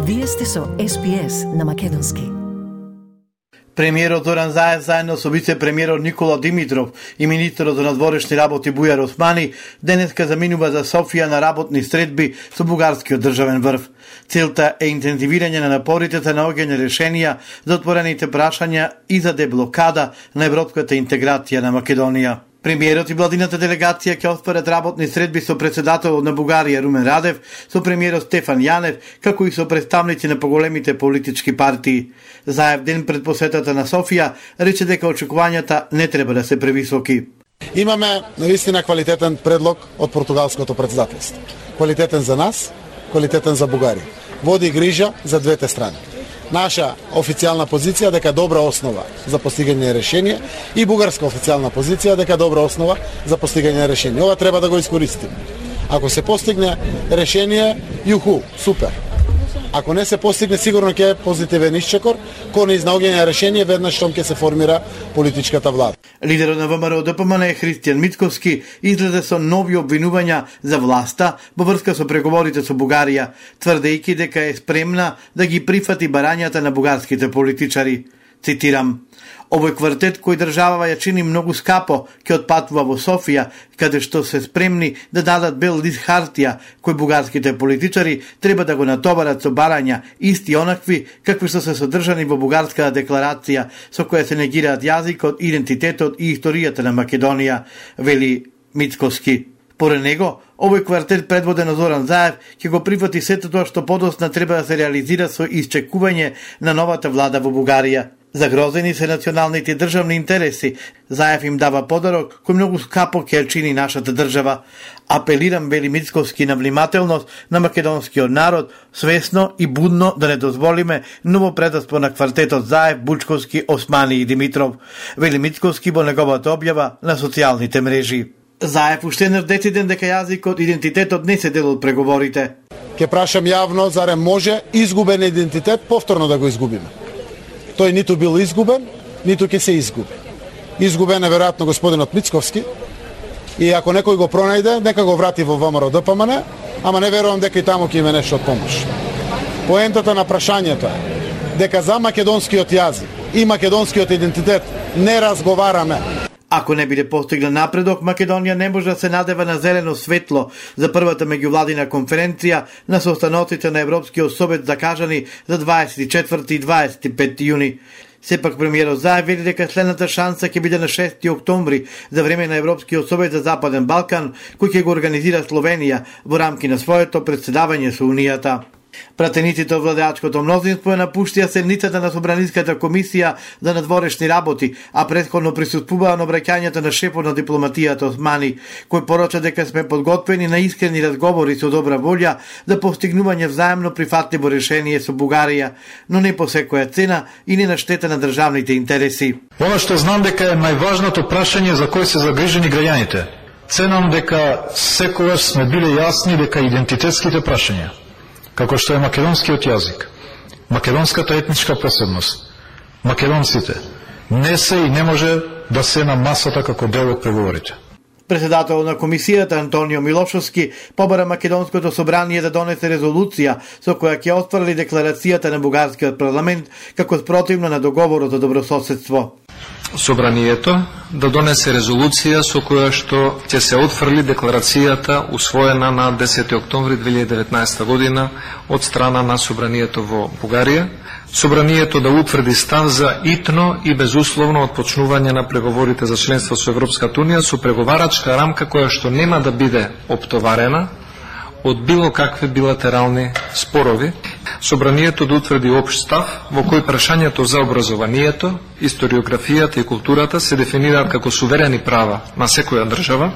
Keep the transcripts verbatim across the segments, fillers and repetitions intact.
Вие сте со Ес Би Ес на македонски. Премиерот Зоран Заев заедно со вице-премиерот Никола Димитров и министерот за надворешни работи Бујар Османи денеска заминува за Софија на работни средби со бугарскиот државен врв. Целта е интензивирање на напорите за наоѓање решенија за отворените прашања и за деблокада на европската интеграција на Македонија. Премиерот и владината делегација ќе отворат работни средби со председателот на Бугарија Румен Радев, со премиерот Стефан Јанев, како и со представници на поголемите политички партии. Заев ден пред посетата на Софија рече дека очекувањата не треба да се превисоки. Имаме наистина квалитетен предлог од португалското председателство. Квалитетен за нас, квалитетен за Бугарија. Води грижа за двете страни. Наша официјална позиција дека добра основа за постигање решение и бугарска официјална позиција дека добра основа за постигање решение. Ова треба да го искористиме. Ако се постигне решение, јуху, супер. Ако не се постигне, сигурно ќе е позитивен исчекор кон изнаоѓање решение веднаш штом ќе се формира политичката влада. Лидерот на ВМРО Д П М Н Христијан Мицковски излезе со нови обвинувања за власта во врска со преговорите со Бугарија, тврдејќи дека е спремна да ги прифати барањата на бугарските политичари. Цитирам: "Овој квартет кој државава ја чини многу скапо, ќе отпатува во Софија, каде што се спремни да дадат бел лист хартија, кој бугарските политичари треба да го натоварат со барања, исти онакви какви што се содржани во бугарската декларација, со која се негираат јазикот, идентитетот и историјата на Македонија", вели Мицковски. Поред него, овој квартет предводен од Зоран Заев ќе го прифати сето тоа што подосна треба да се реализира со исчекување на новата влада во Бугарија. Загрозени се националните државни интереси. Заев им дава подарок кој многу скапо ќе чини нашата држава. Апелирам, вели Мицковски, на внимателност на македонскиот народ, свесно и будно да не дозволиме ново предаство на квартетот Заев, Бучковски, Османи и Димитров, вели Мицковски во неговата објава на социјалните мрежи. Заев уште еднаш дециден дека јазикот, идентитетот не се дел од преговорите. Ке прашам јавно, зарем може изгубен идентитет повторно да го изгубиме? Тој ниту бил изгубен, ниту ќе се изгуби. Изгубен е веројатно господинот Мицковски и ако некој го пронајде, нека го врати во ВМРО Д П М Н, ама не верувам дека и таму ќе има нешто од помош. Поентата на прашањето е дека за македонскиот јазик и македонскиот идентитет не разговараме. Ако не биде постигнат напредок, Македонија не може да се надева на зелено светло за првата меѓувладина конференција на состаноците на Европскиот совет закажани за дваесет и четврти и дваесет и пети јуни. Сепак премиерот Заев вели дека следната шанса ќе биде на шести октомври за време на Европскиот совет за Западен Балкан, кој ќе го организира Словенија во рамки на своето председавање со Унијата. Пратениците од владеачкото мнозинство напуштија седницата на Собраниската комисија за надворешни работи, а претходно присуствуваа на обраќањето на шефот на дипломатијата Османи, кој порача дека сме подготвени на искрени разговори со добра волја за постигнување взаемно прифатливо решение со Бугарија, но не по секоја цена и не на штета на државните интереси. Оно што знам дека е најважното прашање за кој се загрижени граѓаните. Ценам дека секогаш сме биле јасни дека идентитетските прашања, како што е македонскиот јазик, македонската етничка посебност, македонците, не се и не може да се на масата како дел од преговорите. Председател на комисијата Антонио Милошовски побара Македонското собрание да донесе резолуција со која ќе отфрли декларацијата на бугарскиот парламент како спротивна на договорот за добрососедство. Собранието да донесе резолуција со која што ќе се отфрли декларацијата усвоена на десети октомври две илјади и деветнаесета година од страна на Собранието во Бугарија. Собранието да утврди став за итно и безусловно отпочнување на преговорите за членство со Европската Унија со преговарачка рамка која што нема да биде оптоварена од било какви билатерални спорови. Собранието да утврди општ став во кој прашањето за образованието, историографијата и културата се дефинираат како суверени права на секоја држава,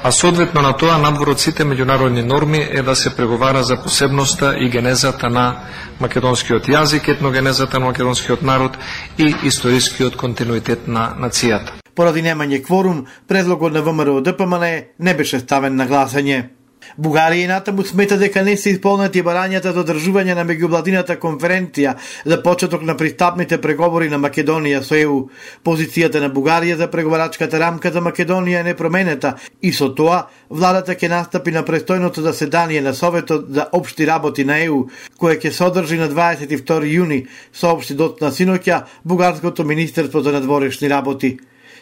а соодветно на тоа надвор од сите меѓународни норми е да се преговара за посебноста и генезата на македонскиот јазик, етногенезата на македонскиот народ и историскиот континуитет на нацијата. Поради немање кворум, предлогот на ВМРО Д П М Н не беше ставен на гласање. Бугарија и натаму смета дека не се исполнети барањата за одржување на меѓувладината конференција за почеток на пристапните преговори на Македонија со Е У. Позицијата на Бугарија за преговарачката рамка за Македонија е непроменета и со тоа владата ќе настапи на престојното заседание на Советот за општи работи на Е У, кое ќе се одржи на дваесет и втори јуни, соопшти дотна синоќа бугарското министерство за надворешни работи.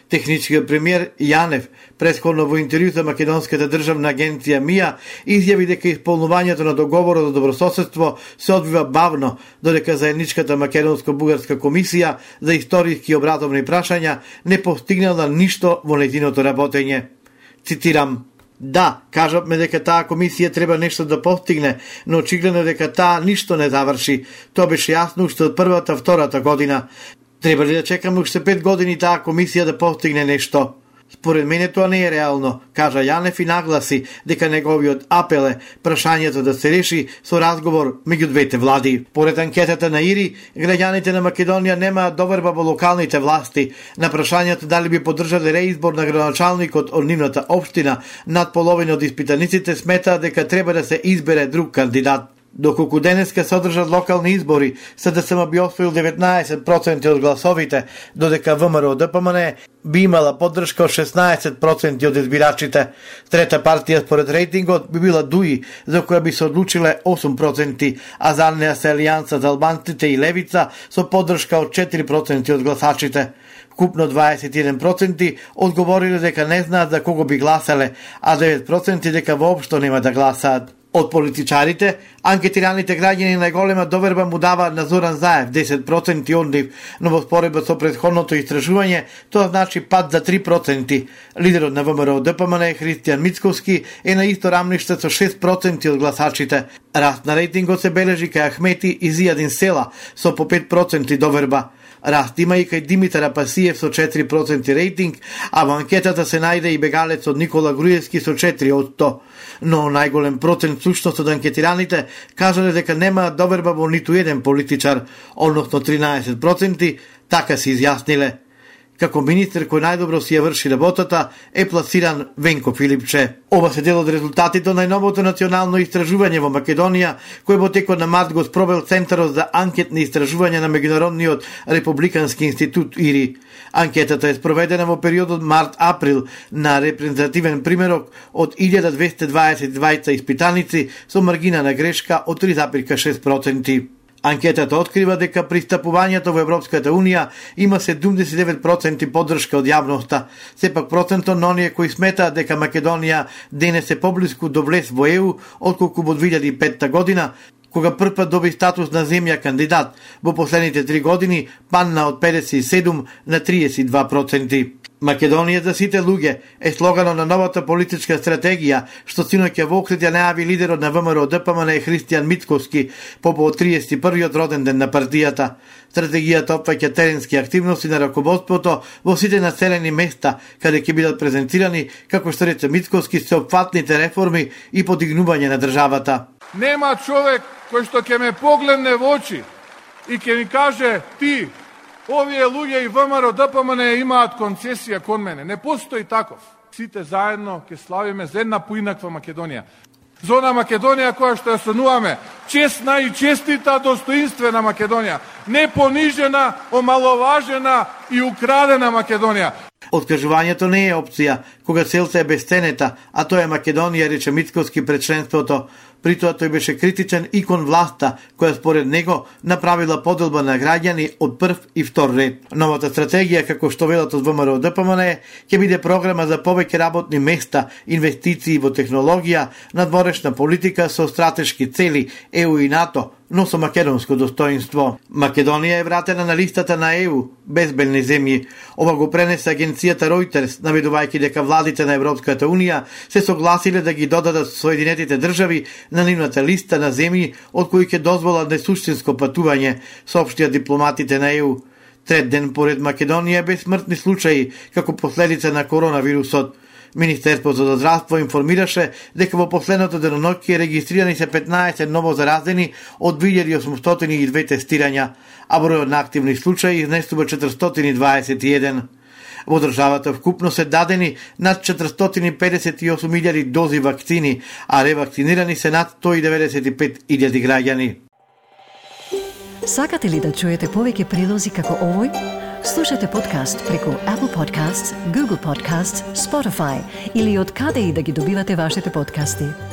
Техничкиот премиер Јанев, претходно во интервју за Македонската државна агенција МИА, изјави дека исполнувањето на договорот за добрососедство се одвива бавно, додека заедничката македонско-бугарска комисија за историски и образовни прашања не постигнала ништо во нејзиното работење. Цитирам: "Да, кажавме дека таа комисија треба нешто да постигне, но очигледно дека таа ништо не заврши. Тоа беше јасно уште од првата, втората година. Треба ли да чекаме уште пет години таа комисија да постигне нешто? Според мене тоа не е реално", кажа Јанев и нагласи дека неговиот апел е прашањето да се реши со разговор меѓу двете влади. Поред анкетата на ИРИ, граѓаните на Македонија немаат доверба во локалните власти. На прашањето дали би поддржале реизбор на градоначалникот од нивната општина, над половина од испитаниците сметаат дека треба да се избере друг кандидат. Доколку денеска се одржат локални избори, СДСМ би освоил деветнаесет проценти од гласовите, додека ВМРО Д П М Н би имала поддршка од шеснаесет проценти од избирачите. Трета партија според рейтингот би била ДУИ, за која би се одлучиле осум проценти, а за неа се Алијанса за албанците и Левица со поддршка од четири проценти од гласачите. Купно дваесет и еден проценти одговориле дека не знаат за кого би гласале, а девет проценти дека воопшто нема да гласаат. Од политичарите, анкетираните граѓани најголема доверба му даваат на Зоран Заев, десет проценти од нив, но во споредба со претходното истражување, тоа значи пад за три проценти. Лидерот на ВМРО Д П М Н Христијан Мицковски е на исто рамниште со шест проценти од гласачите. Раст на рейтингот се бележи кај Ахмети и Зијадин Села со по пет проценти доверба. Раст има и кај Димитар Апасиев со четири проценти рейтинг, а во анкетата се најде и бегалецот Никола Груевски со четири од сто. Но најголем процент сушност од анкетираните кажале дека немаат доверба во ниту еден политичар, односно тринаесет проценти, така се изјасниле. Како министер кој најдобро си ја врши работата е пласиран Венко Филипче. Ова се дел од резултатите од најновото национално истражување во Македонија, кој во текот на март го спровел Центарот за анкетни истражувања на Меѓународниот републикански институт ИРИ. Анкетата е спроведена во периодот март-април на репрезентативен примерок од илјада двесте дваесет и двајца испитаници со маргина на грешка од три зарез и шест проценти. Анкетата открива дека пристапувањето во Европската Унија има седумдесет и девет проценти поддршка од јавноста. Сепак процентот на оние кои сметаат дека Македонија денес е поблиску до влез во Е У отколку во две илјади и петта година, кога првпат доби статус на земја кандидат, во последните три години падна од педесет и седум на триесет и два проценти. Македонија за сите луѓе е слоганот на новата политичка стратегија, што синоќа во Охрид ја најави лидерот на ВМРО Д П М Н Христијан Мицковски по повод триесет и првиот роден ден на партијата. Стратегијата опфаќа теренски активности на раководството во сите населени места, каде ќе бидат презентирани, како што рече Мицковски, сеопфатните реформи и подигнување на државата. Нема човек кој што ќе ме погледне во очи и ќе ми каже: ти, овие луѓе и ВМРО Д П М Н имаат концесија кон мене. Не постои таков. Сите заедно ќе славиме за една поинаква Македонија. За она Македонија која што ја сонуваме, честна и честита, достоинствена Македонија, не понижена, омаловажена и украдена Македонија. Откажувањето не е опција, кога целта е безценета, а тоа е Македонија, рече Мицковски пред членството. При тоа тој беше критичен и кон власта, која според него направила поделба на граѓани од прв и втор ред. Новата стратегија, како што велат од ВМРО Д П М Н, ќе биде програма за повеќе работни места, инвестиции во технологија, надворешна политика со стратешки цели, Е У и НАТО, но со македонско достоинство. Македонија е вратена на листата на Е У, безбедни земји. Ова го пренесе агенцијата Reuters, наведувајќи дека владите на Европската Унија се согласиле да ги додадат Соединетите држави на нивната листа на земји од кои ќе дозволат несуштинско патување, соопштија дипломатите на Е У. Трет ден поред Македонија без смртни случаи како последица на коронавирусот. Министерството за здравство информираше дека во последното деноноќие регистрирани се петнаесет ново заразени од две илјади осумстотини и две тестирања, а бројот на активни случаи изнесува четиристотини и дваесет и еден. Во државата вкупно се дадени над четиристотини педесет и осум илјади дози вакцини, а ревакцинирани се над сто и деветдесет и пет илјади граѓани. Сакате ли да чуете повеќе прилози како овој? Слушате подкаст преку Apple Podcasts, Google Podcasts, Spotify или од каде и да ги добивате вашите подкасти.